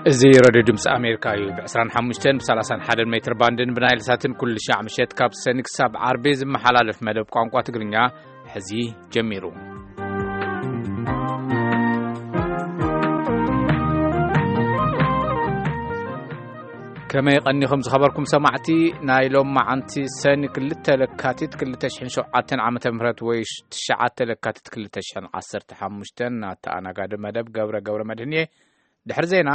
እዚ ሬድዮ ድምፂ ኣሜሪካ እዩ። ብ25 ብ31 ሜትር ባንድን ብናይል ሳትን ኩሉ ሻዕ ምሸት ካብ ሰኒ ክሳብ ዓርቢ ዝመሓላለፍ መደብ ቋንቋ ትግርኛ ሕዚ ጀሚሩ። ከመይ ቀኒኹም ዝኸበርኩም ሰማዕቲ? ናይ ሎም መዓንቲ ሰኒ ክልተ ለካቲት ክልተ ሽሕን ሸውዓተን ዓመተ ምህረት ወይ ትሽዓተ ለካቲት ክልተ ሽሕን ዓሰርተ ሓሙሽተን ኣተኣናጋዲ መደብ ገብረ ገብረ መድህን እየ። ድሕሪ ዜና፣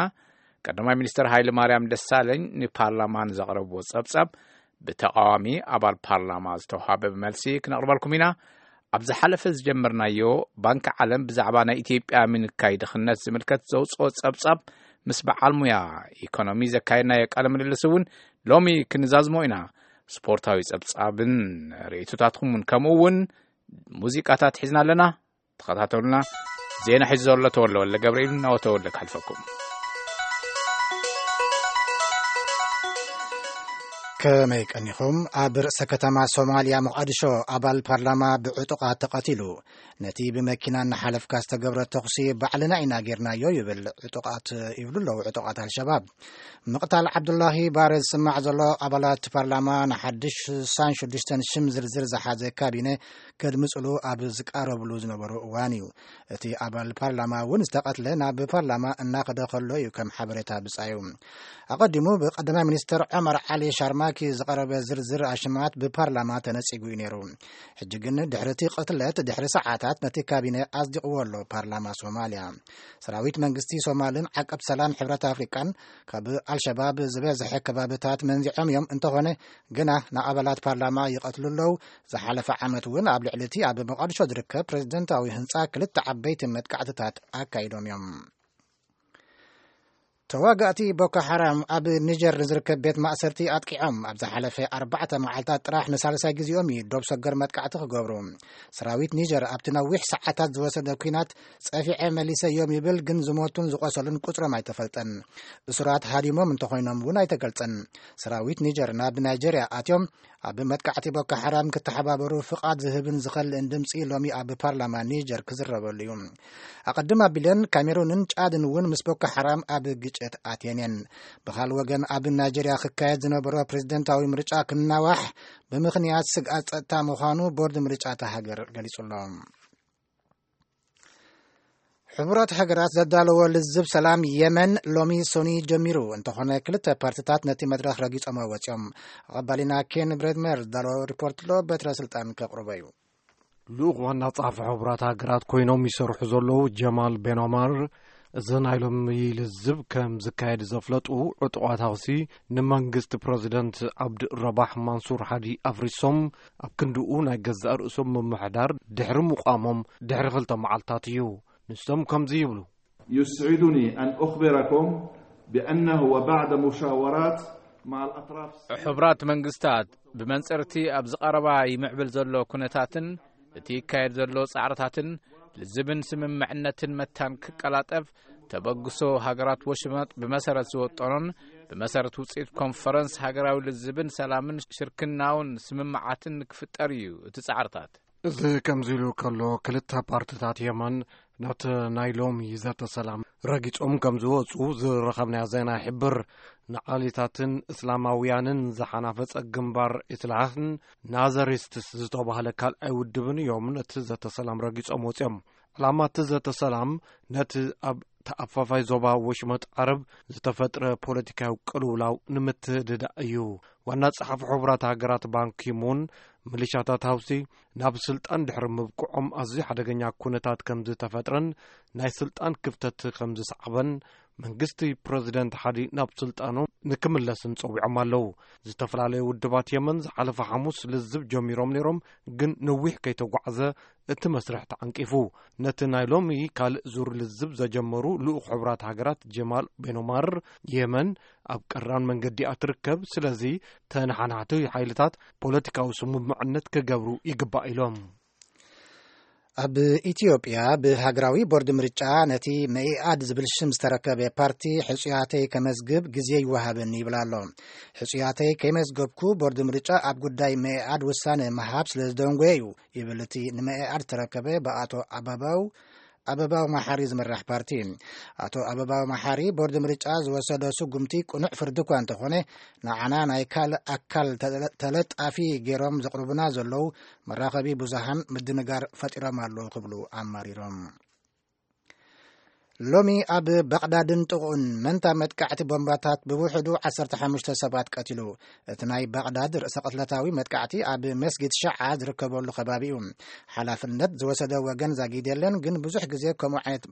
ቀዳማይ ሚኒስትር ሃይለ ማርያም ደሳለኝ ንፓርላማ ንዘቕረብዎ ጸብጻብ ብተቓዋሚ ኣባል ፓርላማ ዝተውሃበ መልሲ ክነቕርበልኩም ኢና። ኣብ ዝሓለፈ ዝጀመርናዮ፣ ባንኪ ዓለም ብዛዕባ ናይ ኢትዮጵያ ምንካይ ድኽነት ዝምልከት ዘውጽኦ ጸብጻብ ምስ በዓል ሙያ ኢኮኖሚ ዘካየድናዮ ቃለ ምልልስ እውን ሎሚ ክንዛዝሞ ኢና። ስፖርታዊ ጸብጻብን ርእይቶታትኩም እውን፣ ከምኡ እውን ሙዚቃታት ሒዝና ኣለና። ተኸታተሉና። ዜና ሒዙ ዘሎ ተወልደ ወልደ ገብርኤል፣ ናብ ተወልደ ክሓልፈኩም። ከመይ ቀኒኹም? ኣብ ርእሰ ከተማ ሶማልያ ሞቃዲሾ ኣባል ፓርላማ ብዕጡቓት ተቐቲሉ። ነቲ ብመኪና እናሓለፍካ ዝተገብረ ተኹሲ ባዕልና ኢና ጌርናዮ ይብል ዕጡቓት፣ ይብሉ ኣለዉ ዕጡቓት ኣልሸባብ። ምቕታል ዓብዱላሂ ባረ ዝስማዕ ዘሎ ኣባላት ፓርላማ ንሓድሽ ስሳን ሽዱሽተን ሽም ዝርዝር ዝሓዘ ካቢነ ከድምፅሉ ኣብ ዝቃረብሉ ዝነበሩ እዋን እዩ። እቲ ኣባል ፓርላማ እውን ዝተቐትለ ናብ ፓርላማ እናኸደ ከሎ እዩ ከም ሓበሬታ ብፃዩ። ኣቐዲሙ ብቀዳማይ ሚኒስትር ዑመር ዓሊ ሻርማኪ ዝቐረበ ዝርዝር ኣሽማት ብፓርላማ ተነፂጉ እዩ ነይሩ። ሕጂ ግን ድሕሪ እቲ ቅትለት ድሕሪ ሰዓታት ነቲ ካቢነ ኣጽዲቕዎ ኣሎ ፓርላማ ሶማልያ። ሰራዊት መንግስቲ ሶማልን ዓቀብ ሰላም ሕብረት ኣፍሪቃን ካብ ኣልሸባብ ዝበዝሐ ከባብታት መንዚዖም እዮም። እንተኾነ ግና ንኣባላት ፓርላማ ይቐትሉ ኣለዉ። ዝሓለፈ ዓመት እውን ኣብ ልዕሊ እቲ ኣብ መቃዲሾ ዝርከብ ፕሬዝደንታዊ ህንጻ ክልተ ዓበይቲ መጥቃዕትታት ኣካይዶም እዮም። ተዋጋእቲ ቦኮ ሓራም ኣብ ኒጀር ንዝርከብ ቤት ማእሰርቲ ኣጥቂዖም። ኣብ ዝሓለፈ ኣርባዕተ መዓልታት ጥራሕ ንሳልሳይ ግዜኦም እዩ ዶብ ሰገር መጥቃዕቲ ክገብሩ። ሰራዊት ኒጀር ኣብቲ ነዊሕ ሰዓታት ዝወሰደ ኲናት ጸፊዐ መሊሰ እዮም ይብል፣ ግን ዝሞቱን ዝቖሰሉን ቁጽሮም ኣይተፈልጠን። እሱራት ሃዲሞም እንተኾይኖም እውን ኣይተገልጸን። ሰራዊት ኒጀር ናብ ናይጀርያ ኣትዮም ኣብ መጥቃዕቲ ቦኮ ሓራም ክተሓባበሩ ፍቓድ ዝህብን ዝኸልእን ድምፂ ሎሚ ኣብ ፓርላማ ኒጀር ክዝረበሉ እዩ። ኣቐድም ኣቢለን ካሜሩንን ጫድን እውን ምስ ቦኮ ሓራም ኣብ ግጭት ኣትየን እየን። ብኻል ወገን ኣብ ናይጀርያ ክካየድ ዝነበሮ ፕሬዝደንታዊ ምርጫ ክናዋሕ ብምኽንያት ስግኣት ጸጥታ ምዃኑ ቦርድ ምርጫ እታ ሃገር ገሊጹ ኣሎ። ሕቡራት ሃገራት ዘዳለዎ ልዝብ ሰላም የመን ሎሚ ሶኒ ጀሚሩ። እንተኾነ ክልተ ፓርትታት ነቲ መድረኽ ረጊጾሞ ወጺኦም። ኣቐባሊና ኬን ብሬድመር ዝዳለዎ ሪፖርት ኣሎ፣ በትረ ስልጣን ከቕርቦ እዩ። ልኡኽ ዋና ጸሓፊ ሕቡራት ሃገራት ኮይኖም ይሰርሑ ዘለዉ ጀማል ቤን ኦማር፣ እዚ ናይ ሎሚ ልዝብ ከም ዝካየድ ዘፍለጡ፣ ዕጡቓት ሃውሲ ንመንግስቲ ፕረዚደንት ዓብድ ረባሕ ማንሱር ሓዲ ኣፍሪሶም ኣብ ክንድኡ ናይ ገዛእ ርእሶም ምምሕዳር ድሕሪ ምቋሞም ድሕሪ ክልተ መዓልታት እዩ። ንሶም ከምዚ ይብሉ። يسعدني أن أخبركم بأنه وبعد مشاورات مع الأطراف ሕቡራት መንግስታት ብመንጽርቲ ኣብ ዝቐረባ ይምዕብል ዘሎ ኩነታትን እቲ ይካየድ ዘሎ ጻዕርታትን ልዝብን ስምምዕነትን መታን ክቀላጠፍ ተበግሶ ሃገራት ወሽመጥ ብመሰረት ዝወጠኖን ብመሰረት ውጽኢት ኮንፈረንስ ሃገራዊ ልዝብን ሰላምን ሽርክናውን ስምምዓትን ክፍጠር እዩ እቲ ጻዕርታት። እዚ ከምዚ ኢሉ ከሎ፣ ክልተ ፓርትታት የመን ናብቲ ናይ ሎሚ ዘተ ሰላም ረጊጾም ከም ዝወጹ ዝረኸብናዮ ዜና ይሕብር። ንዓሊታትን እስላማውያንን ዝሓናፈጸ ግንባር ኢስላህን ናዘሪስትስ ዝተባህለ ካልኣይ ውድብን እዮም ነቲ ዘተ ሰላም ረጊጾም ወጺኦም። ዕላማ እቲ ዘተ ሰላም ነቲ ኣብ ተኣፋፋይ ዞባ ወሽመጥ ዓረብ ዝተፈጥረ ፖለቲካዊ ቅልውላው ንምትህድዳእ እዩ። ዋና ጸሓፊ ሕቡራት ሃገራት ባንኪሙን፣ ሚሊሻታት ሃውሲ ናብ ስልጣን ድሕሪ ምብቅዖም ኣዝዩ ሓደገኛ ኩነታት ከም ዝተፈጥረን ናይ ስልጣን ክፍተት ከም ዝሰዓበን መንግስቲ ፕረዚደንት ሓዲ ናብ ስልጣኑ ንክምለስን ጸዊዖም ኣለዉ። ዝተፈላለዩ ውድባት የመን ዝሓለፈ ሓሙስ ልዝብ ጀሚሮም ነይሮም፣ ግን ነዊሕ ከይተጓዕዘ እቲ መስርሕ ተዓንቂፉ። ነቲ ናይ ሎሚ ካልእ ዙር ልዝብ ዘጀመሩ ልኡኽ ሕቡራት ሃገራት ጀማል ቤኖማር፣ የመን ኣብ ቀራን መንገዲ እያ ትርከብ፣ ስለዚ ተነሓናሕቲ ሓይልታት ፖለቲካዊ ስምምዕነት ክገብሩ ይግባእ ኢሎም። ኣብ ኢትዮጵያ ብሃገራዊ ቦርድ ምርጫ ነቲ መኢኣድ ዝብል ሽም ዝተረከበ ፓርቲ ሕጹያተይ ከመዝግብ ግዜ ይወሃበኒ ይብል ኣሎ። ሕጹያተይ ከይመዝገብኩ ቦርድ ምርጫ ኣብ ጉዳይ መኢኣድ ውሳነ ምሃብ ስለ ዝደንጎየ እዩ ይብል እቲ ንመኢኣድ ዝተረከበ ብኣቶ ኣበባው ኣበባው መሓሪ ዝምራሕ ፓርቲ። ኣቶ ኣበባው መሓሪ፣ ቦርድ ምርጫ ዝወሰዶ ስጉምቲ ቅኑዕ ፍርዲ እኳ እንተኾነ፣ ንዓና ናይ ካልእ ኣካል ተለ-፣ ተለጣፊ ገይሮም ዘቕርቡና ዘለዉ መራኸቢ ብዙሃን ምድንጋር ፈጢሮም ኣለዉ ክብሉ ኣማሪሮም። ሎሚ ኣብ በቕዳድን ጥቕኡን መንታ መጥቃዕቲ ቦምባታት ብውሕዱ ዓሰርተ ሓሙሽተ ሰባት ቀቲሉ። እቲ ናይ በቕዳድ ርእሰ ቅትለታዊ መጥቃዕቲ ኣብ መስጊድ ሸዓ ዝርከበሉ ከባቢ እዩ። ሓላፍነት ዝወሰደ ወገን ዛጊድ የለን፣ ግን ብዙሕ ግዜ ከምኡ ዓይነት፣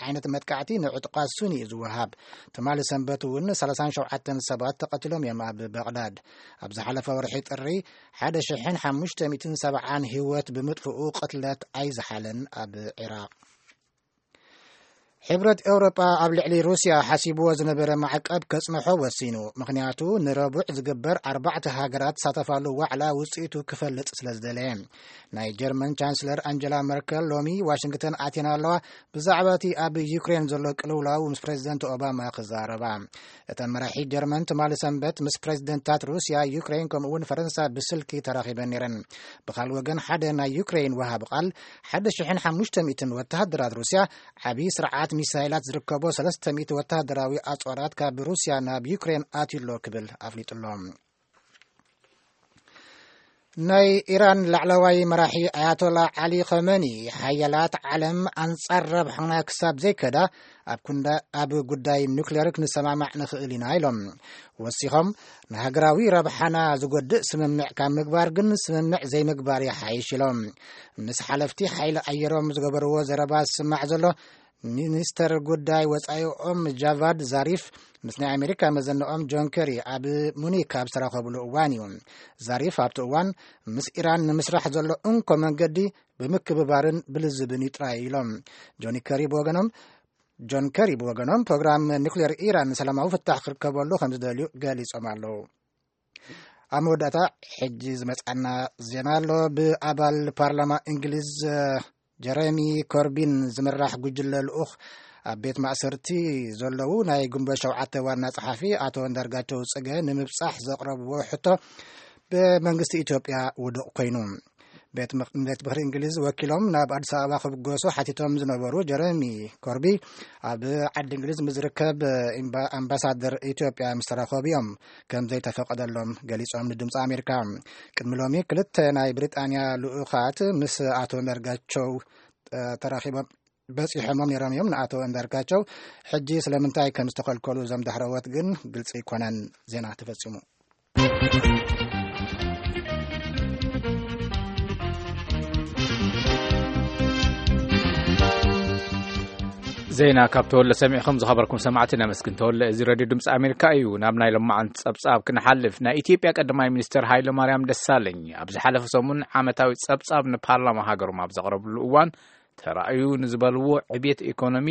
ዓይነት መጥቃዕቲ ንዕጡቓት ሱኒ እዩ ዝወሃብ። ትማሊ ሰንበት እውን ሰላሳን ሸውዓተን ሰባት ተቐቲሎም እዮም ኣብ በቕዳድ። ኣብ ዝሓለፈ ወርሒ ጥሪ ሓደ ሽሕን ሓሙሽተ ሚእትን ሰብዓን ህይወት ብምጥፍኡ ቅትለት ኣይዝሓለን ኣብ ዒራቕ። ሕብረት ኤውሮጳ ኣብ ልዕሊ ሩስያ ሓሲብዎ ዝነበረ ማዕቀብ ከጽንሖ ወሲኑ። ምኽንያቱ ንረቡዕ ዝግበር ኣርባዕተ ሃገራት ዝሳተፋሉ ዋዕላ ውጽኢቱ ክፈልጥ ስለ ዝደለየ። ናይ ጀርመን ቻንስለር ኣንጀላ መርከል ሎሚ ዋሽንግተን ኣትየን ኣለዋ። ብዛዕባ እቲ ኣብ ዩክሬን ዘሎ ቅልውላው ምስ ፕሬዚደንት ኦባማ ክዛረባ። እተን መራሒ ጀርመን ትማሊ ሰንበት ምስ ፕሬዚደንታት ሩስያ፣ ዩክሬን ከምኡ እውን ፈረንሳ ብስልኪ ተራኺበን ነይረን። ብኻልእ ወገን ሓደ ናይ ዩክሬን ወሃቢ ቃል ሓደ ሽሕን ሓሙሽተ ሚእትን ወተሃደራት ሩስያ ዓብዪ ስርዓት ሚሳይላት ዝርከቦ ሰለስተ ሚእቲ ወተሃደራዊ ኣጽዋራት ካብ ሩስያ ናብ ዩክሬን ኣትዩሎ ክብል ኣፍሊጡሎ። ናይ ኢራን ላዕለዋይ መራሒ ኣያቶላ ዓሊ ኸመኒ፣ ሓያላት ዓለም ኣንጻር ረብሓና ክሳብ ዘይከዳ ኣብ ኩንዳ-፣ ኣብ ጉዳይ ኑክሌር ክንሰማማዕ ንኽእል ኢና ኢሎም። ወሲኾም፣ ንሃገራዊ ረብሓና ዝጎድእ ስምምዕ ካብ ምግባር ግን ስምምዕ ዘይምግባር ይሓይሽ ኢሎም። ምስ ሓለፍቲ ሓይሊ ኣየሮም ዝገበርዎ ዘረባ ዝስማዕ ዘሎ፣ ሚኒስተር ጉዳይ ወጻኢኦም ጃቫድ ዛሪፍ ምስ ናይ ኣሜሪካ መዘንኦም ጆን ከሪ ኣብ ሙኒክ ኣብ ዝተራኸብሉ እዋን እዩ። ዛሪፍ ኣብቲ እዋን፣ ምስ ኢራን ንምስራሕ ዘሎ እንኮ መንገዲ ብምክብባርን ብልዝብን እዩ ጥራይ ኢሎም። ጆኒ ከሪ ብወገኖም፣ ጆን ከሪ ብወገኖም፣ ፕሮግራም ኒኩሌር ኢራን ሰላማዊ ፍታሕ ክርከበሉ ከም ዝደልዩ ገሊጾም ኣለዉ። ኣብ መወዳእታ ሕጂ ዝመጻና ዜና ኣሎ። ብኣባል ፓርላማ እንግሊዝ ጀረሚ ኮርቢን ዝምራሕ ጉጅለ ልኡኽ ኣብ ቤት ማእሰርቲ ዘለዉ ናይ ግንቦት ሸውዓተ ዋና ጸሓፊ ኣቶ እንዳርጋቸው ጽገ ንምብጻሕ ዘቕረብዎ ሕቶ ብመንግስቲ ኢትዮጵያ ውዱቕ ኮይኑ። ቤት ምኽ-፣ ቤት ምኽሪ እንግሊዝ ወኪሎም ናብ ኣዲስ ኣበባ ክብገሱ ሓቲቶም ዝነበሩ ጀረሚ ኮርቢ ኣብ ዓዲ እንግሊዝ ምስ ዝርከብ ኤምባ-፣ ኣምባሳደር ኢትዮጵያ ምስ ተራኸቡ እዮም ከም ዘይተፈቀደሎም ገሊጾም ንድምፂ ኣሜሪካ። ቅድሚ ሎሚ ክልተ ናይ ብሪጣንያ ልኡኻት ምስ ኣቶ እንዳርጋቸው፣ እ፣ ተራኺቦም በጺሖሞም ነይሮም እዮም። ንኣቶ እንዳርጋቸው ሕጂ ስለምንታይ ከም ዝተኸልከሉ እዞም ዳሕረዎት ግን ግልጺ ኣይኮነን። ዜና ተፈጺሙ። ዜና ካብ ተወለ ሰሚዕኹም ዝኸበርኩም ሰማዕቲ ነመስግን። ተወለ፣ እዚ ሬድዮ ድምፂ ኣሜሪካ እዩ። ናብ ናይ ሎማዓንቲ ጸብጻብ ክንሓልፍ፣ ናይ ኢትዮጵያ ቀዳማይ ሚኒስትር ሃይለ ማርያም ደሳለኝ ኣብ ዝሓለፈ ሰሙን ዓመታዊ ጸብጻብ ንፓርላማ ሃገሮም ኣብ ዘቕረብሉ እዋን፣ ተራእዩ ንዝበልዎ ዕብየት ኢኮኖሚ፣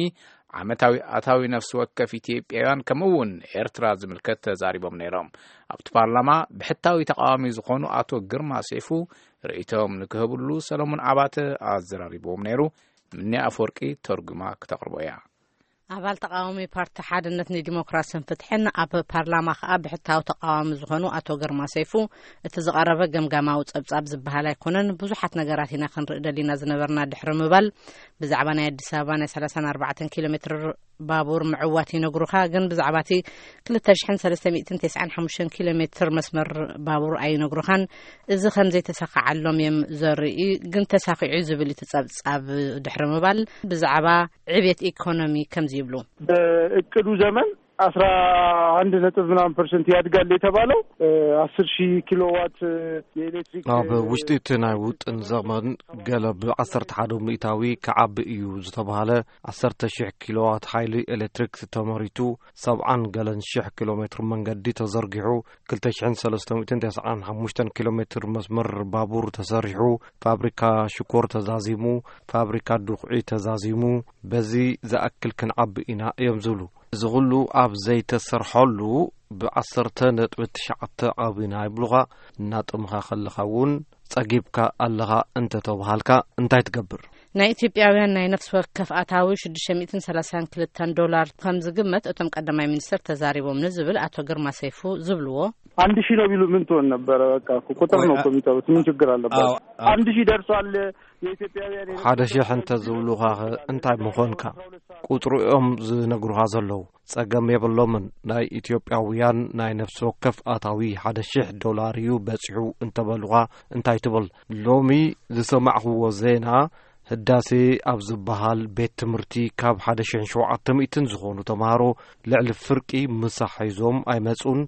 ዓመታዊ ኣታዊ ነፍሲ ወከፍ ኢትዮጵያውያን ከምኡ እውን ኤርትራ ዝምልከት ተዛሪቦም ነይሮም። ኣብቲ ፓርላማ ብሕታዊ ተቃዋሚ ዝኾኑ ኣቶ ግርማ ሴፉ ርእይቶም ንክህብሉ ሰለሙን ኣባተ ኣዘራሪብዎም ነይሩ። ምኒ ኣፈወርቂ ተርጉማ ክተቕርቦ እያ። ኣባል ተቃዋሚ ፓርቲ ሓድነት ንዲሞክራስን ፍትሕን፣ ኣብ ፓርላማ ከኣ ብሕታዊ ተቃዋሚ ዝኾኑ ኣቶ ግርማ ሰይፉ፣ እቲ ዝቐረበ ገምጋማዊ ጸብጻብ ዝበሃል ኣይኮነን፣ ብዙሓት ነገራት ኢና ክንርኢ ደሊና ዝነበርና ድሕሪ ምባል፣ ብዛዕባ ናይ ኣዲስ ኣበባ ናይ ሰላሳን ኣርባዕተን ኪሎ ሜትር ባቡር ምዕዋት ይነግሩኻ፣ ግን ብዛዕባ እቲ ክልተ ሽሕን ሰለስተ ሚእትን ተስዓን ሓሙሽተን ኪሎ ሜትር መስመር ባቡር ኣይነግሩኻን። እዚ ከም ዘይተሳኸዓሎም እዮም ዘርኢ፣ ግን ተሳኺዑ ዝብል እቲ ጸብጻብ ድሕሪ ምባል፣ ብዛዕባ ዕብየት ኢኮኖሚ ከምዚ ይብሉ። በእቅዱ ዘመን አስራ አንድ ነጥብ ምናምን ፐርሰንት ያድጋል የተባለው፣ እ፣ አስር ሺህ ኪሎዋት፣ እ፣ የኤሌክትሪክ፣ ኣብ እ፣ ውሽጢ እቲ ናይ ውጥን ዘመን ገለ ብ ዓሰርተ ሓደ ሚእታዊ ክዓቢ እዩ ዝተባህለ ዓሰርተ ሺሕ ኪሎዋት ሓይሊ ኤሌክትሪክ ተመሪቱ፣ ሰብዓን ገለን ሽሕ ኪሎ ሜትር መንገዲ ተዘርጊሑ፣ ክልተ ሽሕን ሰለስተ ሚእትን ተስዓን ሓሙሽተን ኪሎ ሜትር መስመር ባቡር ተሰሪሑ፣ ፋብሪካ ሽኮር ተዛዚሙ፣ ፋብሪካ ዱኽዒ ተዛዚሙ፣ በዚ ዝኣክል ክንዓቢ ኢና እዮም ዝብሉ። እዚ ኹሉ ኣብ ዘይተሰርሐሉ ብዓሰርተ ነጥቢ ትሽዓተ ዓቢና ይብሉኻ። እናጠምኻ ከለኻ እውን ጸጊብካ ኣለኻ እንተተባሃልካ እንታይ ትገብር? ናይ ኢትዮጵያውያን ናይ ነፍሲ ወከፍ ኣታዊ ሽዱሽተ ሚእትን ሰላሳን ክልተን ዶላር ከም ዝግመት እቶም ቀዳማይ ሚኒስትር ተዛሪቦም ንዝብል ኣቶ ግርማ ሰይፉ ዝብልዎ። አንድ ሺህ ነው ቢሉ ምን ትሆን ነበረ? በቃ እኮ ቁጥር ነው እኮ የሚጠሩት። ምን ችግር አለባቸው? አዎ፣ አዎ። አንድ ሺህ ደርሷል። የኢትዮጵያውያን የነፍስ ሓደ ሺህ ወከፍ እንተ ዝብሉኻ ኸ እንታይ ምኾንካ? ቁጥሩ እዮም ዝነግሩኻ ዘለዉ። ጸገም የብሎምን። ናይ ኢትዮጵያውያን ናይ ነፍሲ ወከፍ ኣታዊ ሓደ ሺሕ ዶላር እዩ በጺሑ እንተበሉኻ እንታይ ትብል? ሎሚ ዝሰማዕኽዎ ዜና፣ ህዳሴ ኣብ ዝበሃል ቤት ትምህርቲ ካብ ሓደ ሺሕን ሸውዓተ ሚእትን ዝኾኑ ተምሃሮ ልዕሊ ፍርቂ ምሳሕ ሒዞም ኣይመጹን።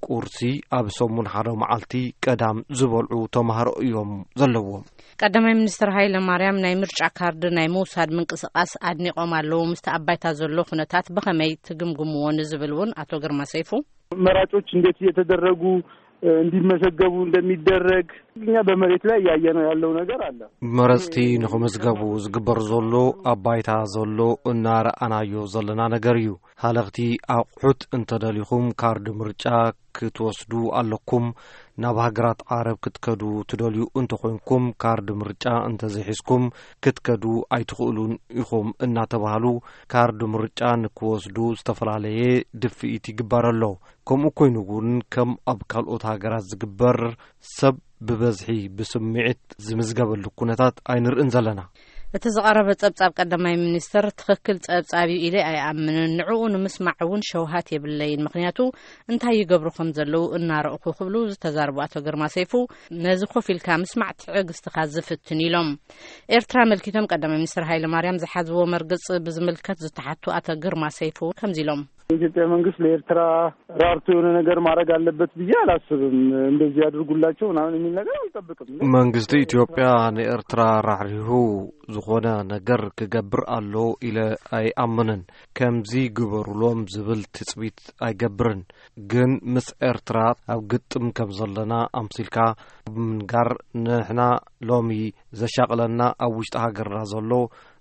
ቁርሲ ኣብ ሰሙን ሓደ መዓልቲ ቀዳም ዝበልዑ ተምሃሮ እዮም ዘለዎም። ቀዳማይ ሚኒስትር ሃይለ ማርያም ናይ ምርጫ ካርድ ናይ ምውሳድ ምንቅስቃስ ኣድኒቆም ኣለዉ። ምስቲ ኣብ ባይታ ዘሎ ኩነታት ብኸመይ ትግምግምዎ ንዝብል እውን ኣቶ ግርማ ሰይፉ። መራጮች እንዴት እየተደረጉ፣ እ፣ እንዲመዘገቡ እንደሚደረግ እኛ በመሬት ላይ እያየነው ያለው ነገር አለ። መረጽቲ ንኽምዝገቡ ዝግበር ዘሎ ኣብ ባይታ ዘሎ እናረኣናዮ ዘለና ነገር እዩ። ሃለኽቲ ኣቑሑት እንተደሊኹም ካርድ ምርጫ ክትወስዱ ኣለኩም። ናብ ሃገራት ዓረብ ክትከዱ ትደልዩ እንተኾይንኩም ካርድ ምርጫ እንተዘይሒዝኩም ክትከዱ ኣይትኽእሉን ኢኹም እናተባህሉ ካርድ ምርጫ ንክወስዱ ዝተፈላለየ ድፍኢት ይግበር ኣሎ። ከምኡ ኮይኑ እውን ከም ኣብ ካልኦት ሃገራት ዝግበር ሰብ ብበዝሒ ብስምዒት ዝምዝገበሉ ኩነታት ኣይንርእን ዘለና። እቲ ዝቐረበ ጸብጻብ ቀዳማይ ሚኒስትር ትኽክል ጸብጻብ እዩ ኢለ ኣይኣምንን። ንዕኡ ንምስማዕ እውን ሸውሃት የብለይን። ምኽንያቱ እንታይ ይገብሩ ከም ዘለዉ እናረእኹ ክብሉ ዝተዛረቡ ኣቶ ግርማ ሰይፉ፣ ነዚ ኮፍ ኢልካ ምስማዕ ትዕግስትኻ ዝፍትን ኢሎም። ኤርትራ ኣመልኪቶም ቀዳማይ ሚኒስትር ሃይለ ማርያም ዝሓዝዎ መርገጽ ብዝምልከት ዝተሓቱ ኣቶ ግርማ ሰይፉ ከምዚ ኢሎም። የኢትዮጵያ መንግስት ለኤርትራ ራርቶ የሆነ ነገር ማድረግ አለበት ብዬ አላስብም። እንደዚህ ያድርጉላቸው ምናምን የሚል ነገር አልጠብቅም። መንግስቲ ኢትዮጵያ ንኤርትራ ራሕሪሁ ዝኾነ ነገር ክገብር ኣሎ ኢለ ኣይኣምንን። ከምዚ ግበሩሎም ዝብል ትጽቢት ኣይገብርን። ግን ምስ ኤርትራ ኣብ ግጥም ከም ዘለና ኣምሲልካ ምንጋር፣ ንሕና ሎሚ ዘሻቕለና ኣብ ውሽጢ ሃገርና ዘሎ፣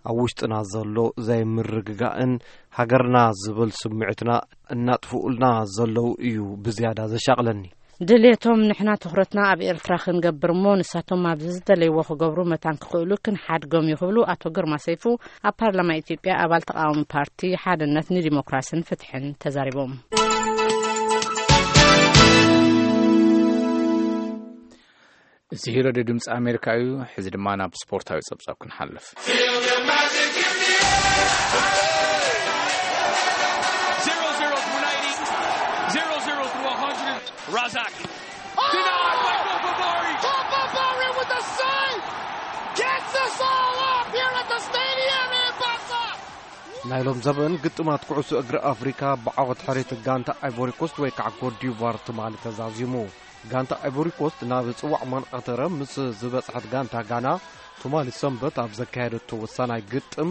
ኣብ ውሽጥና ዘሎ ዘይምርግጋእን ሃገርና ዝብል ስምዒትና እናጥፍኡልና ዘለዉ እዩ ብዝያዳ ዘሻቕለኒ። ድሌቶም ንሕና ትኹረትና ኣብ ኤርትራ ክንገብር እሞ ንሳቶም ኣብዚ ዝደለይዎ ክገብሩ መታን ክኽእሉ ክንሓድጎም እዩ ክብሉ ኣቶ ግርማ ሰይፉ ኣብ ፓርላማ ኢትዮጵያ ኣባል ተቃዋሚ ፓርቲ ሓድነት ንዲሞክራስን ፍትሕን ተዛሪቦም። እዚ ሬድዮ ድምፂ ኣሜሪካ እዩ። ሕዚ ድማ ናብ ስፖርታዊ ጸብጻብ ክንሓልፍ። Zero zero through ninety, zero zero through one hundred. Razak. Denied by Bobabari. Bobabari with a save. Gets us all up here at the stadium in Basa. ናይ ሎም ዘበን ግጥማት ኩዕሶ እግሪ ኣፍሪካ ብዓወት ሕሬት ጋንታ ኣይቮሪኮስት ወይ ከዓ ኮትዲቫር ትማሊ ተዛዚሙ። ጋንታ ኣይቮሪኮስት ናብ ጽዋዕ ማንኣተረ ምስ ዝበጽሐት ጋንታ ጋና ትማሊ ሰንበት ኣብ ዘካየደቶ ወሳናይ ግጥም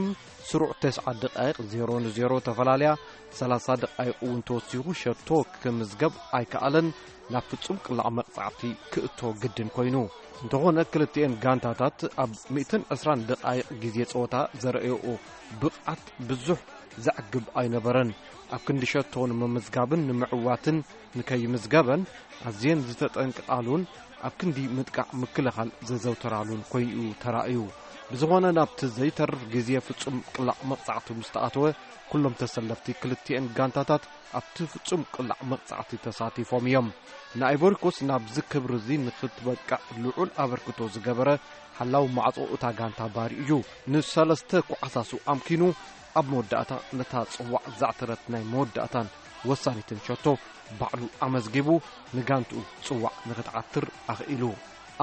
ስሩዕ ተስዓ ደቃይቕ ዜሮ ንዜሮ ተፈላለያ ሰላሳ ደቃይቕ እውን ተወሲኹ ሸቶ ክምዝገብ ኣይከኣለን። ናብ ፍጹም ቅላዕ መቕጻዕቲ ክእቶ ግድን ኮይኑ። እንተኾነ ክልቲኤን ጋንታታት ኣብ ሚእትን ዕስራን ደቃይቕ ግዜ ጸወታ ዘርእየኦ ብቕዓት ብዙሕ ዘዕግብ ኣይነበረን። ኣብ ክንዲ ሸቶ ንምምዝጋብን ንምዕዋትን ንከይምዝገበን ኣዝየን ዝተጠንቅቓሉን ኣብ ክንዲ ምጥቃዕ ምክልኻል ዘዘውተራሉን ኮይኑ እዩ ተራእዩ። ብዝኾነ ናብቲ ዘይተርፍ ግዜ ፍጹም ቅላዕ መቕጻዕቲ ምስ ተኣተወ ኩሎም ተሰለፍቲ ክልቲኤን ጋንታታት ኣብቲ ፍጹም ቅላዕ መቕጻዕቲ ተሳቲፎም እዮም። ንኣይቮሪኮስ ናብዚ ክብሪ እዚ ንኽትበቅዕ ልዑል ኣበርክቶ ዝገበረ ሓላው ማዕጾ እታ ጋንታ ባሪ እዩ። ንሰለስተ ኳዕሳሱ ኣምኪኑ ኣብ መወዳእታ ነታ ጽዋዕ ዘዕተረት ናይ መወዳእታን ወሳኒትን ሸቶ ባዕሉ ኣመዝጊቡ ንጋንትኡ ጽዋዕ ንኽትዓትር ኣኽኢሉ።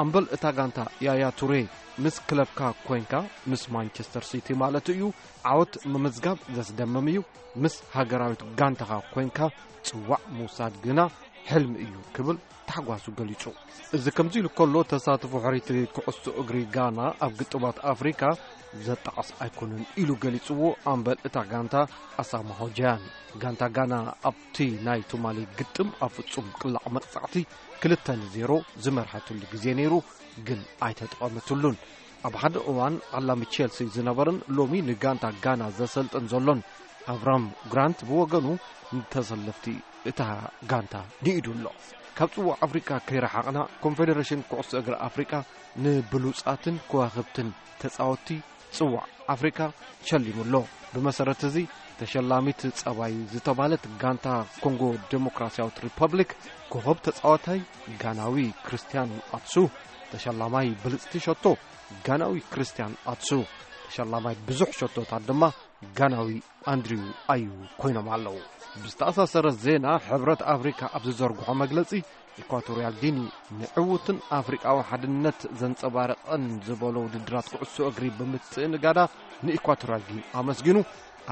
ኣምበል እታ ጋንታ ያያ ቱሬ፣ ምስ ክለብካ ኮይንካ፣ ምስ ማንቸስተር ሲቲ ማለት እዩ፣ ዓወት ምምዝጋብ ዘስደምም እዩ። ምስ ሃገራዊት ጋንታኻ ኮይንካ ጽዋዕ ምውሳድ ግና ሕልሚ እዩ ክብል ታሕጓሱ ገሊጹ። እዚ ከምዚ ኢሉ ከሎ፣ ተሳትፎ ሕርይቲ ኩዕሶ እግሪ ጋና ኣብ ግጥማት ኣፍሪካ ዘጣዕስ ኣይኮነን ኢሉ ገሊጽዎ ኣምበል እታ ጋንታ ኣሳማ ሆጃያን። ጋንታ ጋና ኣብቲ ናይ ትማሊ ግጥም ኣብ ፍጹም ቅላዕ መቕጻዕቲ ክልተ ንዜሮ ዝመርሐትሉ ግዜ ነይሩ፣ ግን ኣይተጠቐመትሉን። ኣብ ሓደ እዋን ዓላሚ ቼልሲ ዝነበረን ሎሚ ንጋንታ ጋና ዘሰልጥን ዘሎን ኣቭራም ግራንት ብወገኑ ንተሰለፍቲ እታ ጋንታ ንኢዱ ኣሎ። ካብ ጽዋዕ ኣፍሪቃ ከይረሓቕና፣ ኮንፌደሬሽን ኩዕሶ እግሪ ኣፍሪቃ ንብሉጻትን ከዋኽብትን ተጻወትቲ ጽዋዕ ኣፍሪካ ሸሊሙ ኣሎ። ብመሰረት እዚ፣ ተሸላሚት ጸባይ ዝተባለት ጋንታ ኮንጎ ዴሞክራሲያዊት ሪፐብሊክ፣ ኮኸብ ተጻዋታይ ጋናዊ ክርስቲያን ኣትሱ፣ ተሸላማይ ብልጽቲ ሸቶ ጋናዊ ክርስቲያን ኣትሱ፣ ተሸላማይ ብዙሕ ሸቶታት ድማ ጋናዊ ኣንድሪው ኣዩ ኮይኖም ኣለዉ። ብዝተኣሳሰረ ዜና፣ ሕብረት ኣፍሪካ ኣብ ዝዘርግሖ መግለጺ፣ ኢኳቶርያል ጊኒ ንዕውትን ኣፍሪቃዊ ሓድነት ዘንጸባረቐን ዝበሎ ውድድራት ኩዕሶ እግሪ ብምትእንጋዳ ንኢኳቶርያል ጊኒ ኣመስጊኑ፣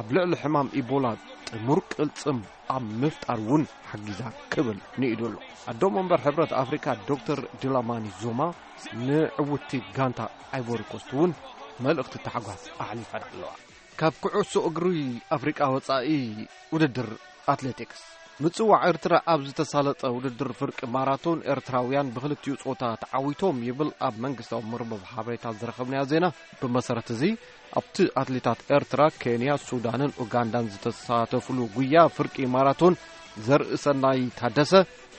ኣብ ልዕሊ ሕማም ኢቦላ ጥሙር ቅልጽም ኣብ ምፍጣር እውን ሓጊዛ ክብል ንኢዱ ኣሎ። ኣዶ መንበር ሕብረት ኣፍሪካ ዶክተር ድላማኒ ዙማ ንዕውቲ ጋንታ ኣይቮሪኮስት እውን መልእኽቲ ታሕጓስ ኣሕሊፈን ኣለዋ። ካብ ኩዕሶ እግሪ ኣፍሪቃ ወጻኢ፣ ውድድር ኣትሌቲክስ ምጽዋዕ ኤርትራ ኣብ ዝተሳለጠ ውድድር ፍርቂ ማራቶን፣ ኤርትራውያን ብክልቲኡ ጾታ ተዓዊቶም ይብል ኣብ መንግስታዊ መርበብ ሓበሬታ ዝረኸብናዮ ዜና። ብመሰረት እዚ፣ ኣብቲ ኣትሌታት ኤርትራ፣ ኬንያ፣ ሱዳንን ኡጋንዳን ዝተሳተፉሉ ጉያ ፍርቂ ማራቶን ዘርእሰናይ ታደሰ፣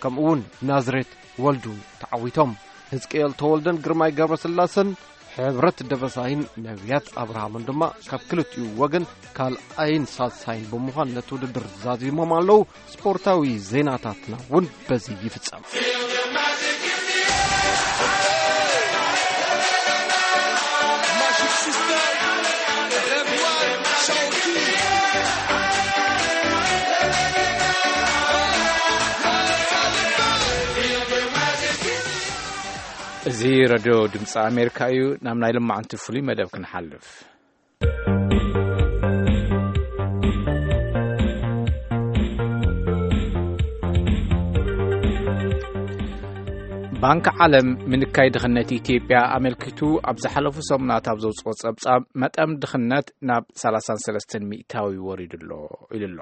ከምኡ እውን ናዝሬት ወልዱ ተዓዊቶም። ህዝቅኤል ተወልደን ግርማይ ገብረስላሰን፣ ሕብረት ደበሳይን ነቢያት ኣብርሃምን ድማ ካብ ክልቲኡ ወገን ካልኣይን ሳልሳይን ብምዃን ነቲ ውድድር ዛዚሞም ኣለዉ። ስፖርታዊ ዜናታትና እውን በዚ ይፍጸም። እዚ ረድዮ ድምፂ ኣሜሪካ እዩ። ናብ ናይ ልማዕንቲ ፍሉይ መደብ ክንሓልፍ። ባንኪ ዓለም ምንካይ ድኽነት ኢትዮጵያ ኣመልኪቱ ኣብ ዝሓለፉ ሰሙናት ኣብ ዘውፅኦ ጸብጻብ፣ መጠን ድኽነት ናብ ሰላሳን ሰለስተን ሚእታዊ ወሪዱ ኣሎ ኢሉ ኣሎ።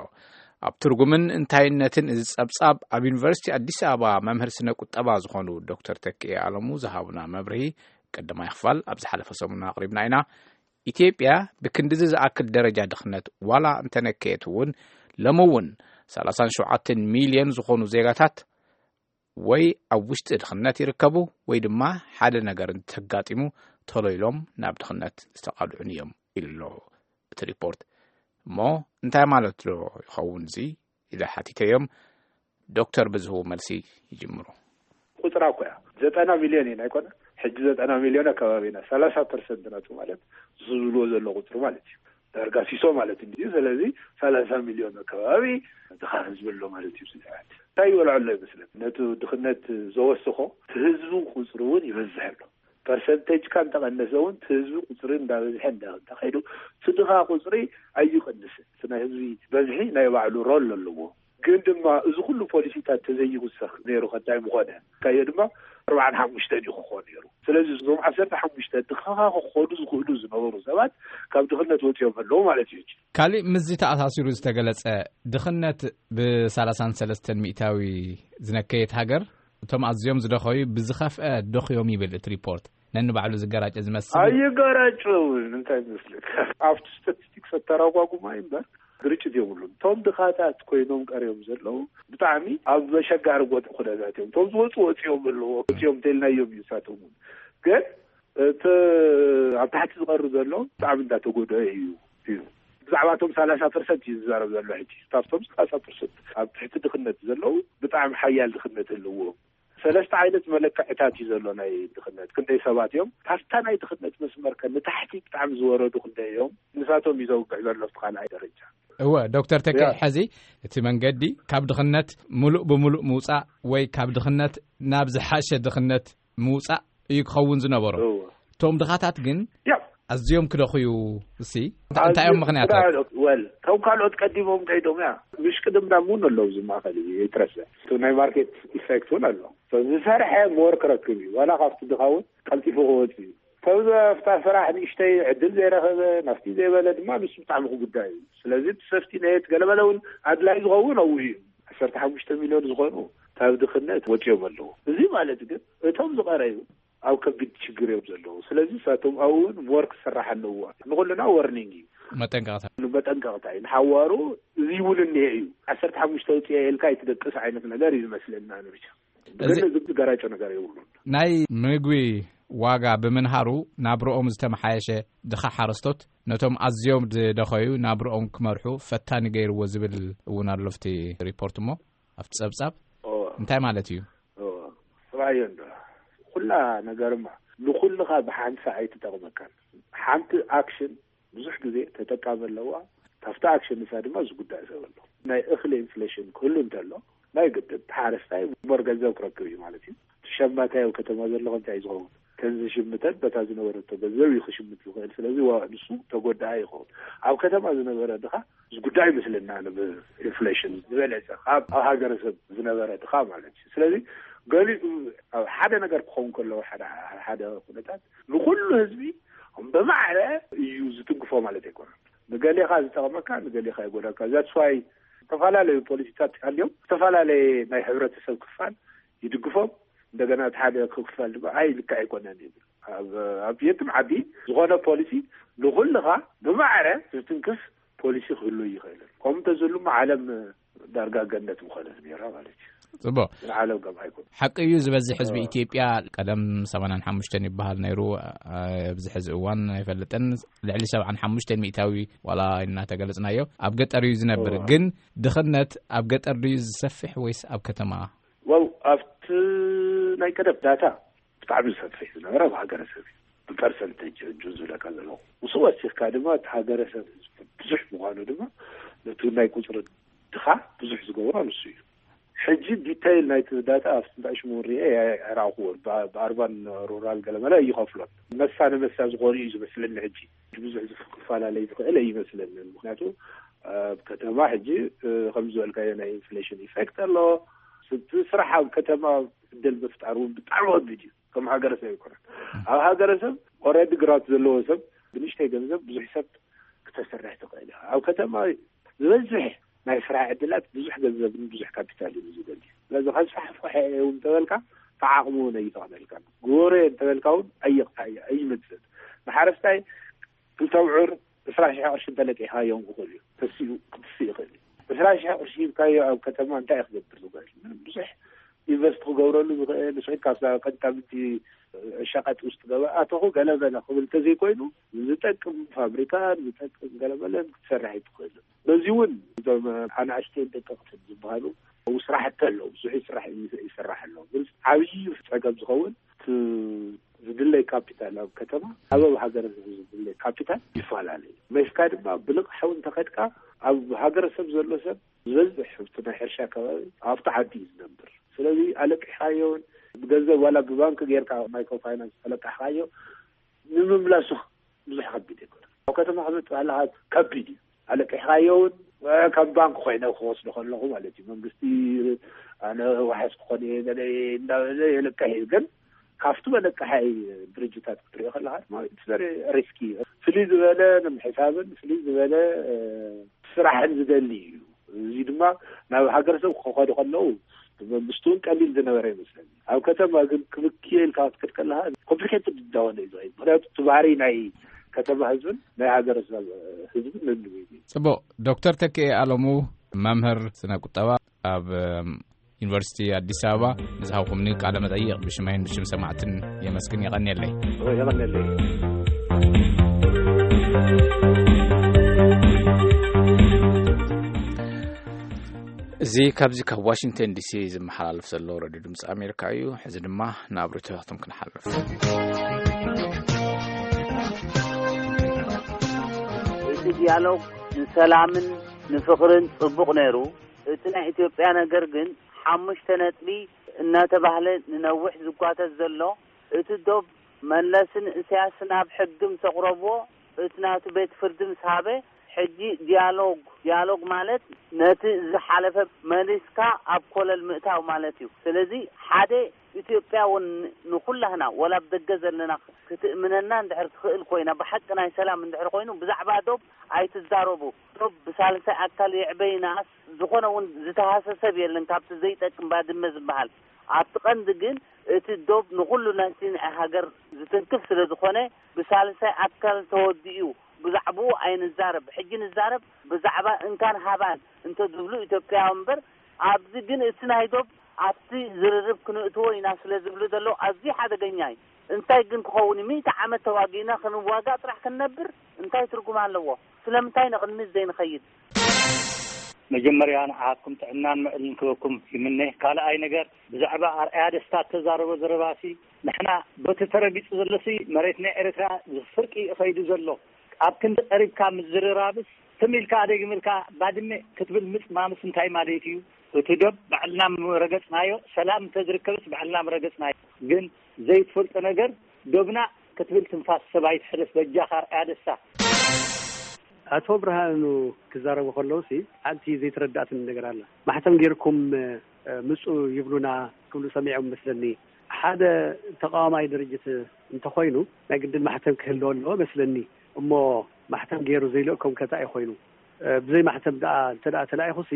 ኣብ ትርጉምን እንታይነትን እዚ ጸብጻብ፣ ኣብ ዩኒቨርሲቲ ኣዲስ ኣበባ መምህር ስነ ቁጠባ ዝኾኑ ዶክተር ተክኤ ኣለሙ ዝሃቡና መብርሂ፣ ቀዳማይ ክፋል ኣብ ዝሓለፈ ሰሙን ኣቕሪብና ኢና። ኢትዮጵያ ብክንድዚ ዝኣክል ደረጃ ድኽነት ዋላ እንተነከየት እውን፣ ሎሚ እውን ሰላሳን ሸውዓተን ሚልዮን ዝኾኑ ዜጋታት ወይ ኣብ ውሽጢ ድኽነት ይርከቡ፣ ወይ ድማ ሓደ ነገር እንተጋጢሙ፣ ቶሎ ኢሎም ናብ ድኽነት ዝተቓልዑን እዮም ኢሉ ኣሎ እቲ ሪፖርት። እሞ እንታይ ማለት ዶ ይኸውን እዚ? ኢለ ሓቲተዮም። ዶክተር ብዝህቡ መልሲ ይጅምሩ። ቁጽራ እኮ እያ። ዘጠና ሚልዮን ኢና ኣይኮነ? ሕጂ ዘጠና ሚልዮን ኣከባቢ ኢና። ሰላሳ ፐርሰንት ናቱ ማለት፣ ዝብልዎ ዘሎ ቁጽሪ ማለት እዩ። ዳርጋ ሲሶ ማለት እንድዩ። ስለዚ ሰላሳ ሚልዮን ኣከባቢ ድኻ ህዝቢ ኣሎ ማለት እዩ። ስድራቤት እንታይ ይበልዖ ኣሎ ይመስለኒ? ነቲ ድኽነት ዘወስኾ፣ እቲ ህዝቢ ቁጽሪ እውን ይበዝሕ ኣሎ። ፐርሰንቴጅካ እንተቐነሰ እውን፣ እቲ ህዝቢ ቁጽሪ እንዳበዝሐ እንዳ-፣ እንተኸይዱ፣ እቲ ድኻ ቁጽሪ ኣይቕንስን። እቲ ናይ ህዝቢ በዝሒ ናይ ባዕሉ ሮል ኣለዎ። ግን ድማ እዚ ኩሉ ፖሊሲታት ተዘይውሰኽ ነይሩ ከ እንታይ ምኾነ? ካዮ ድማ ኣርባዓን ሓሙሽተን እዩ ክኾን ነይሩ። ስለዚ እዞም ዓሰርተ ሓሙሽተ ድኻ ክኾኑ ዝኽእሉ ዝነበሩ ሰባት ካብ ድኽነት ወፂኦም ኣለዉ ማለት እዩ። ካሊእ ምስዚ ተኣሳሲሩ ዝተገለጸ፣ ድኽነት ብሰላሳን ሰለስተን ሚእታዊ ዝነከየት ሃገር፣ እቶም ኣዝዮም ዝደኸዩ ብዝኸፍአ ደኽዮም ይብል እቲ ሪፖርት። ነንባዕሉ ዝገራጨ ዝመስል። ኣይገራጨውን፣ እንታይ ይመስለካ? ኣብቲ ስታቲስቲክስ ኣተረጓጉማ እምበር ግርጭት የብሉን። እቶም ድኻታት ኮይኖም ቀርዮም ዘለዉ ብጣዕሚ ኣብ መሸጋሪ ቦታ ኩነታት እዮም። እቶም ዝወፁ ወፂኦም ኣለዎ፣ ወፂኦም እንተልናዮም እዩ ንሳቶም እውን። ግን እቲ ኣብ ታሕቲ ዝቐሩ ዘሎ ብጣዕሚ እንዳተጎድኦ እዩ፣ እዩ። ብዛዕባ እቶም ሰላሳ ፐርሰንት እዩ ዝዛረብ ዘሎ ሕጂ። ካብቶም ሰላሳ ፐርሰንት ኣብ ትሕቲ ድኽነት ዘለዉ ብጣዕሚ ሓያል ድኽነት ኣለዎ። ሰለስተ ዓይነት መለክዕታት እዩ ዘሎ ናይ ድኽነት። ክንደይ ሰባት እዮም ካብታ ናይ ድኽነት መስመር ከ ንታሕቲ ብጣዕሚ ዝወረዱ ክንደይ እዮም? ንሳቶም እዩ ዘውግዕ ዘሎ ኣብቲ ካልኣይ ደረጃ። እወ፣ ዶክተር ተኪ፣ ያ። ሕዚ እቲ መንገዲ ካብ ድኽነት ሙሉእ ብሙሉእ ምውፃእ ወይ ካብ ድኽነት ናብ ዝሓሸ ድኽነት ምውፃእ እዩ ክኸውን ዝነበሮ። እወ። እቶም ድኻታት ግን ያ። ኣዝዮም ክደኽዩ፣ እሲ፣ እንታይ እዮም ምኽንያታት? ወል፣ እቶም ካልኦት ቀዲሞም ከይዶም፣ ያ፣ ምሽቅድምዳም እውን ኣለዉ። እዚ ማእኸል እዚ ይትረስዕ። እቲ ናይ ማርኬት ኢፌክት እውን ኣሎ። ሰብ ዝሰርሐ ሞር ክረክብ እዩ። ዋላ ካብቲ ድኻ እውን ቀልጢፉ ክወፅእ እዩ። ሰብ ዘፍታ ስራሕ ንእሽተይ ዕድል ዘይረኸበ፣ ናፍቲ ዘይበለ ድማ ንሱ ብጣዕሚ ክጉዳእ እዩ። ስለዚ እቲ ሰፍቲ ኔት ገለመለ እውን ኣድላይ ዝኸውን ኣብኡ እዩ። ዓሰርተ ሓሙሽተ ሚልዮን ዝኾኑ ካብ ድኽነት ወፂኦም ኣለዉ። እዚ ማለት ግን እቶም ዝቐረዩ ኣብ ከቢድ ችግር እዮም ዘለዉ። ስለዚ ንሳቶም ኣብኡ እውን ሞር ክሰራሕ ኣለዎ። ንኹልና ወርኒንግ እዩ። መጠንቀቕታ። መጠንቀቕታ እዩ። ንሓዋሩ እዚ እውን እኒሄ እዩ። ዓሰርተ ሓሙሽተ ውፅኤ ኢልካ ኣይትደቅስ ዓይነት ነገር እዩ ዝመስለና ንብቻ። እዚ ግን እዚ ገራጮ ነገር የብሉን። ናይ ምግቢ ዋጋ ብምንሃሩ ናብርኦም ዝተመሓየሸ ድኻ ሓረስቶት ነቶም ኣዝዮም ዝደኸዩ ናብርኦም ክመርሑ ፈታኒ ገይርዎ ዝብል እውን ኣሎ ኣብቲ ሪፖርት። እሞ ኣብቲ ጸብጻብ እንታይ ማለት እዩ? ስራዮ እንዶ ኩላ ነገርማ ንኩልኻ ብሓንሳ ኣይትጠቕመካን። ሓንቲ ኣክሽን ብዙሕ ግዜ ተጠቃሚ ኣለዋ። ካብቲ ኣክሽን ንሳ ድማ ዝጉዳእ ሰብ ኣሎ። ናይ እኽሊ ኢንፍሌሽን ክህሉ እንተሎ ናይ ግድን ሓረስታይ ሞር ገንዘብ ክረክብ እዩ ማለት እዩ። እቲ ሸማታይ ኣብ ከተማ ዘሎ ከምታይ እዩ ዝኸውን? ከዚ ዝሽምተን በታ ዝነበረቶ ገንዘብ እዩ ክሽምት ዝኽእል። ስለዚ ዋ- ንሱ ተጎዳኢ ይኸውን። ኣብ ከተማ ዝነበረ ድኻ ዝጉዳእ ይመስለና። ብኢንፍሌሽን ዝበለፀ ካብ ኣብ ሃገረሰብ ዝነበረ ድኻ ማለት እዩ። ስለዚ ገሊኡ ኣብ ሓደ ነገር ክኸውን ከለዎ ሓደ ሓደ ኩነታት ንኩሉ ህዝቢ ብማዕረ እዩ ዝትንክፎ ማለት ኣይኮነን። ንገሌኻ ዝጠቕመካ ንገሌኻ ይጎዳካ። ዛትስዋይ ዝተፈላለዩ ፖሊሲታት ኣልዮም ዝተፈላለየ ናይ ሕብረተሰብ ክፋል ይድግፎም። እንደገና እቲ ሓደ ክፋል ድማ ኣይ ልክዕ ኣይኮነን ይብል። ኣብ ኣብ የትም ዓዲ ዝኾነ ፖሊሲ ንኹልኻ ብማዕረ ዝትንክፍ ፖሊሲ ክህሉ ይኽእልን። ከምኡ እንተዝህሉማ ዓለም ዳርጋ ገነት ምኾነት ነይራ ማለት እዩ። ጽቡቅ። ግን ዓለም ከም ኣይኮነ ሓቂ እዩ፣ ዝበዝሕ ህዝቢ ኢትዮጵያ ቀደም ሰማንያን ሓሙሽተን ይበሃል ነይሩ። ኣብዚ ሕዚ እዋን ኣይፈልጥን፣ ልዕሊ ሰብዓን ሓሙሽተን ሚእታዊ ዋላ እናተገለጽናዮ ኣብ ገጠር እዩ ዝነብር። ግን ድኽነት ኣብ ገጠር ድዩ ዝሰፍሕ ወይስ ኣብ ከተማ? ዋው ኣብቲ ናይ ቀደም ዳታ ብጣዕሚ ዝሰፍሕ ዝነበረ ኣብ ሃገረሰብ እዩ። ብፐርሰንቴጅ እጁ ዝብለካ ዘለኹ ምስ ወሲኽካ ድማ እቲ ሃገረሰብ ህዝቢ ብዙሕ ምዃኑ ድማ ነቲ ናይ ቁፅሪ ድኻ ብዙሕ ዝገብሮ ንሱ እዩ። ሕጂ ዲታይል ናይቲ ዳታ ኣብ ስንጣይ ሽሙ ርኤ ኣይረኣኹዎን። ብኣርባን ሩራል ገለመለ ይኸፍሎን መሳ ንመሳ ዝኾኑ እዩ ዝመስለኒ። ሕጂ ብዙሕ ዝፈላለይ ዝኽእል ኣይመስለንን። ምክንያቱ ኣብ ከተማ ሕጂ ከም ዝበልካዮ ናይ ኢንፍሌሽን ኢፌክት ኣሎ። ስቲ ስራሕ ኣብ ከተማ ዕድል ምፍጣር እውን ብጣዕሚ ከቢድ እዩ። ከም ሃገረሰብ ኣይኮነን። ኣብ ሃገረሰብ ኦረዲ ግራት ዘለዎ ሰብ ብንሽተይ ገንዘብ ብዙሕ ሰብ ክተሰርሕ ትኽእል ኢኻ። ኣብ ከተማ ዝበዝሕ ናይ ስራሕ ዕድላት ብዙሕ ገንዘብን ብዙሕ ካፒታል እዩ ዝደሊ። ስለዚ ከስፋሕፍሐ እውን ተበልካ ተዓቕሚ እውን ኣይተቕነልካ። ግበሮ እንተበልካ እውን ኣይቕታ ኣይመፅእ። ንሓረስታይ ክልተ ብዑር ዕስራ ሽሕ ቅርሺ እንተለቂሕካዮ እውን ክኽእል እዩ። ተሲኡ ክትስእ ይኽእል እዩ። ዕስራ ሽሕ ቅርሺ ሂብካዮ ኣብ ከተማ እንታይ እዩ ክገብር ዝኽእል? ምንም ብዙሕ ኢንቨስት ክገብረሉ ዝኽእል ንስኺ ካብ ቀጥታ ምቲ ሸቐጥ ውስጥ ገበ ኣተኹ ገለ በለ ክብል እንተዘይኮይኑ ዝጠቅም ፋብሪካ ዝጠቅም ገለመለን ክትሰርሕ ኣይትኽእልን። በዚ እውን እዞም ኣናእሽተይን ደቀቕትን ዝበሃሉ ስራሕቲ ኣለዉ። ብዙሕ ስራሕ ይስራሕ ኣሎ። ግን ዓብዪ ፀገም ዝኸውን እቲ ዝድለይ ካፒታል ኣብ ከተማ ኣብ ኣብ ሃገር ዝድለይ ካፒታል ይፈላለ እዩ። መሽካ ድማ ብልቕሓዊ እንተኸድካ ኣብ ሃገረሰብ ዘሎ ሰብ ዝበዝሕ እቲ ናይ ሕርሻ ከባቢ ኣብቲ ዓዲ እዩ ዝነብር። ስለዚ ኣለቂሕካዮን ብገንዘብ ዋላ ብባንክ ጌርካ ማይክሮ ፋይናንስ ተለቃሕካዮ ንምምላሱ ብዙሕ ከቢድ ኣይኮነን። ኣብ ከተማ ክመፅእ ኣለካ ከቢድ እዩ። ኣለቂሕካዮ እውን ከም ባንክ ኮይነ ክወስዶ ከለኹ ማለት እዩ። መንግስቲ ኣነ ዋሕስ ክኾን እየ ገለ እየ እንዳበለ የለቅሕ እዩ። ግን ካብቲ መለቀሓይ ድርጅታት ክትሪኦ ከለካ ድማ ሪስኪ እዩ። ፍልይ ዝበለ ንምሕሳብን ፍልይ ዝበለ ስራሕን ዝደሊ እዩ። እዚ ድማ ናብ ሃገረሰብ ክኸዱ ከለዉ መንግስቲ እውን ቀሊል ዝነበረ ይመስለኒ። ኣብ ከተማ ግን ክብክዮ ኢልካ ክትከድ ከለካ ኮምፕሊኬትድ እንዳሆነ እዩ ዝኸይድ። ምክንያቱ እቲ ባህሪ ናይ ከተማ ህዝብን ናይ ሃገረሰብ ህዝብን ነንብዩ። ጽቡቅ። ዶክተር ተክኤ ኣለሙ መምህር ስነ ቁጠባ ኣብ ዩኒቨርሲቲ ኣዲስ ኣበባ ንዝሃብኩምኒ ቃለ መጠይቕ ብሽመይን ብሽም ሰማዕትን የመስግን። የቐንየለይ። የቐንየለይ። እዚ ካብዚ ካብ ዋሽንግተን ዲሲ ዝመሓላለፍ ዘሎ ሬድዮ ድምፂ ኣሜሪካ እዩ። ሕዚ ድማ ናብ ርእይቶታቶም ክንሓልፍ። እቲ ዲያሎግ ንሰላምን ንፍቕርን ጽቡቕ ነይሩ። እቲ ናይ ኢትዮጵያ ነገር ግን ሓሙሽተ ነጥቢ እናተባህለ ንነዊሕ ዝጓተት ዘሎ፣ እቲ ዶብ መለስን እሰያስን ኣብ ሕጊ ምስ ኣቕረብዎ፣ እቲ ናቱ ቤት ፍርዲ ምስ ሃበ፣ ሕጂ ዲያሎግ፣ ዲያሎግ ማለት ነቲ ዝሓለፈ መሊስካ ኣብ ኮለል ምእታው ማለት እዩ። ስለዚ ሓደ ኢትዮጵያ እውን ንኹላህና ወላ ኣብ ደገ ዘለና ክትእምነና እንድሕር ትኽእል ኮይና፣ ብሓቂ ናይ ሰላም እንድሕር ኮይኑ ብዛዕባ ዶብ ኣይትዛረቡ። ዶብ ብሳልሳይ ኣካል ይዕበ ይንኣስ ዝኾነ እውን ዝተሃሰ ሰብ የለን ካብቲ ዘይጠቅም ባድመ ዝበሃል። ኣብቲ ቀንዲ ግን እቲ ዶብ ንኹሉ ናይቲ ናይ ሃገር ዝትንክፍ ስለ ዝኾነ ብሳልሳይ ኣካል ተወዲኡ ብዛዕባኡ ኣይንዛረብ። ሕጂ ንዛረብ ብዛዕባ እንካን ሃባን እንተ ዝብሉ ኢትዮጵያውያን እምበር ኣብዚ ግን እቲ ናይ ዶብ ኣብቲ ዝርርብ ክንእትዎ ኢና ስለ ዝብሉ ዘለዉ ኣዝዩ ሓደገኛ እዩ። እንታይ ግን ክኸውን እዩ? ሚእቲ ዓመት ተዋጊእና ክንዋጋእ ጥራሕ ክንነብር እንታይ ትርጉም ኣለዎ? ስለምንታይ ንቕድሚት ዘይንኸይድ? መጀመርያ ንዓኹም ጥዕናን ምዕልን ክበኩም ይምነ። ካልኣይ ነገር፣ ብዛዕባ ኣርኣያ ደስታ እተዛረቦ ዘረባሲ፣ ንሕና በቲ ተረጊጹ ዘሎሲ መሬት ናይ ኤርትራ ፍርቂ እዩ ኸይዱ ዘሎ። ኣብ ክንዲ ቀሪብካ ምዝርራብስ፣ ትም ኢልካ ኣደጊምልካ ባድመ ክትብል ምጽማምስ እንታይ ማለት እዩ? እቲ ዶብ ባዕልና ምረገጽናዮ፣ ሰላም እንተዝርከብስ ባዕልና ምረገጽናዮ። ግን ዘይትፈልጦ ነገር፣ ዶብና ክትብል ትንፋስ ሰብ ኣይትሕለፍ። በጃኻ ኣርኣያ ደስታ። ኣቶ ብርሃኑ ክዛረቡ ከለውሲ፣ ሓንቲ ዘይተረዳእትን ነገር ኣላ። ማሕተም ጌርኩም፣ እ፣ ምጹ ይብሉና ክብሉ ሰሚዖም መስለኒ። ሓደ ተቃዋማይ ድርጅት እንተኾይኑ፣ ናይ ግድን ማሕተም ክህልዎ ኣለዎ መስለኒ። እሞ ማሕተም ገይሩ ዘይልእኮም ከ እንታይ ኮይኑ? እ፣ ብዘይ ማሕተም ደኣ እንተ ደኣ ተላኢኹሲ፣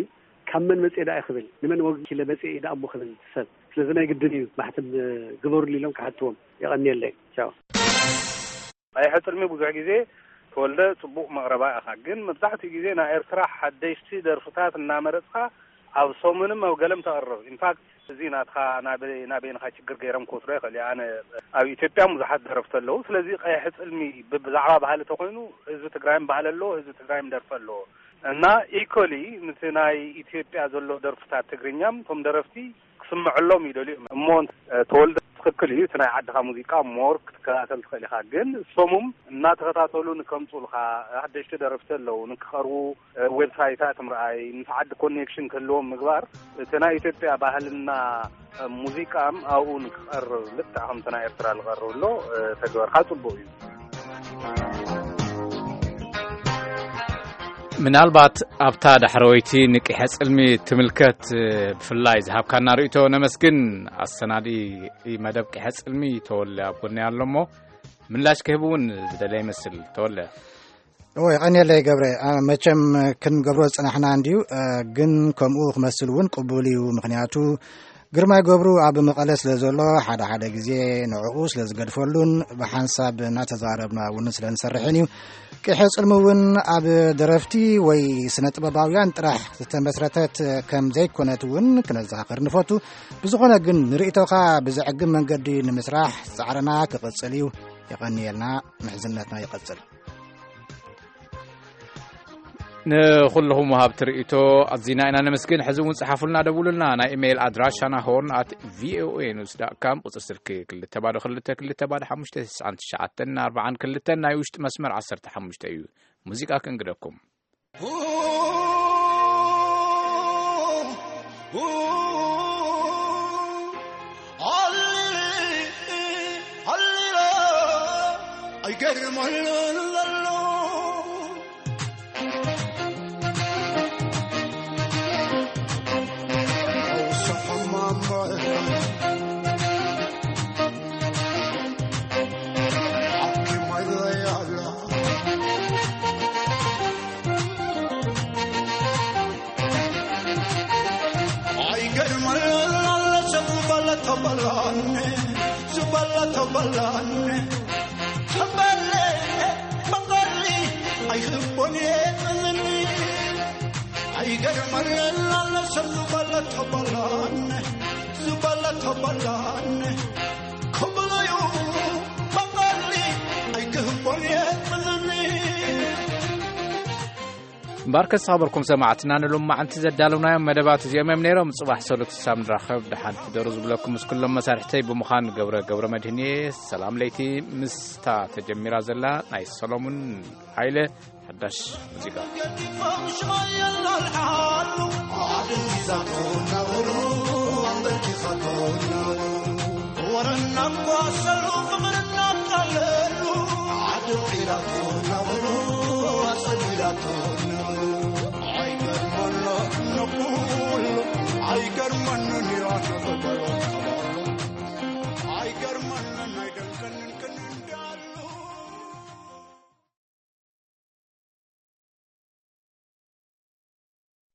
ካብ መን መጽኤ ደኣ ክብል፣ ንመን ወኪለ መጽኤ ደኣ እሞ ክብል ሰብ። ስለዚ ናይ ግድን እዩ ማሕተም፣ እ፣ ግበሩሉ ኢሎም ክሓትዎም። የቐንየለይ። ቻው። ቀይሐ ጽልሚ ብዙሕ ግዜ ተወልደ ጽቡቕ መቕረባ ኢኻ፣ ግን መብዛሕትኡ ግዜ ናይ ኤርትራ ሓደሽቲ ደርፍታት እናመረጽካ ኣብ ሰሙንም ኣብ ገለም ተቕርብ። ኢንፋክት እዚ ናትኻ ናበይ፣ ናበይንኻ ችግር ገይሮም ክወስዶ ይኽእል እዩ። ኣነ ኣብ ኢትዮጵያ ብዙሓት ደረፍቲ ኣለዉ። ስለዚ ቀይሐ ጽልሚ ብ-፣ ብዛዕባ ባህሊ ተኾይኑ ህዝቢ ትግራይም ባህሊ ኣለዎ፣ ህዝቢ ትግራይም ደርፊ ኣለዎ። እና ኢኮሊ ምስቲ ናይ ኢትዮጵያ ዘሎ ደርፍታት ትግርኛም እቶም ደረፍቲ ክስምዐሎም ይደልዩ እዮም። እሞ፣ እ፣ ተወልደ ትኽክል እዩ። እቲ ናይ ዓድኻ ሙዚቃ ሞር ክትከታተል ትኽእል ኢኻ። ግን ሰሙም እናተኸታተሉ ንከምፁልኻ ሓደሽቲ ደረፍቲ ኣለዉ ንክቐርቡ፣ እ፣ ዌብሳይታት ምርኣይ፣ ምስ ዓዲ ኮኔክሽን ክህልዎም ምግባር፣ እቲ ናይ ኢትዮጵያ ባህልና፣ እ፣ ሙዚቃም ኣብኡ ንክቐርብ ልክዕ ከምቲ ናይ ኤርትራ ዝቐርብ ኣሎ፣ እ፣ ተግበርካ ጽቡቕ እዩ። ምናልባት ኣብታ ዳሕረወይቲ ንቂሐ ጽልሚ ትምልከት፣ ብፍላይ ዝሃብካና ርእይቶ ነመስግን። ኣሰናዲ መደብ ቂሐ ጽልሚ ተወለ ኣብ ጎኒ ኣሎ እሞ ምላሽ ክህብ እውን ዝደለየ ይመስል። ተወለ። እወ፣ የቐንየለይ ገብረ። አ፣ መቸም ክንገብሮ ዝጸናሕና እንድዩ፣ አ፣ ግን ከምኡ ክመስል እውን ቅቡል እዩ። ምኽንያቱ ግርማይ ገብሩ ኣብ መቐለ ስለ ዘሎ፣ ሓደ ሓደ ግዜ ንዕኡ ስለ ዝገድፈሉን ብሓንሳብ እናተዛረብና እውን ስለ ንሰርሕን እዩ። ቂሐ ጽልሚ እውን ኣብ ደረፍቲ ወይ ስነ ጥበባውያን ጥራሕ ዝተመስረተት ከም ዘይኮነት እውን ክነዘኻኽር ንፈቱ። ብዝኾነ ግን ንርእይቶኻ ብዘዕግብ መንገዲ ንምስራሕ ጻዕርና ክቕጽል እዩ። የቐንየልና፣ ምሕዝነትና ይቐጽል። ንኹልኹም ወሃብቲ ርእይቶ ኣዚና ኢና ነመስግን። ሕዚ እውን ጸሓፉልና፣ ደውሉልና። ናይ ኢሜይል ኣድራሻና ሆርን ኣት ቪኦኤ ኒውስ ዳት ካም፣ ቁጽሪ ስልኪ ክልተ ባዶ ክልተ ክልተ ባዶ ሓሙሽተ ተስዓን ትሽዓተን ኣርባዓን ክልተን፣ ናይ ውሽጢ መስመር ዓሰርተ ሓሙሽተ እዩ። ሙዚቃ ክንግደኩም። ኣይገርመልን ዘሎ እምበኣርከስ ዝኸበርኩም ሰማዕትና፣ ንሎማዓንቲ ዘዳለውናዮም መደባት እዚኦም እዮም ነይሮም። ጽባሕ ሰሉስ ክሳብ ንራኸብ፣ ደሓን ሕደሩ ዝብለኩም ምስ ኩሎም መሳርሕተይ ብምዃን ገብረ ገብረ መድህን እየ። ሰላም ለይቲ ምስታ ተጀሚራ ዘላ ናይ ሰሎሙን ሃይለ ሓዳሽ ሙዚቃ።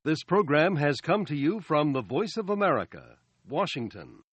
This program has come to you from the Voice of America, Washington.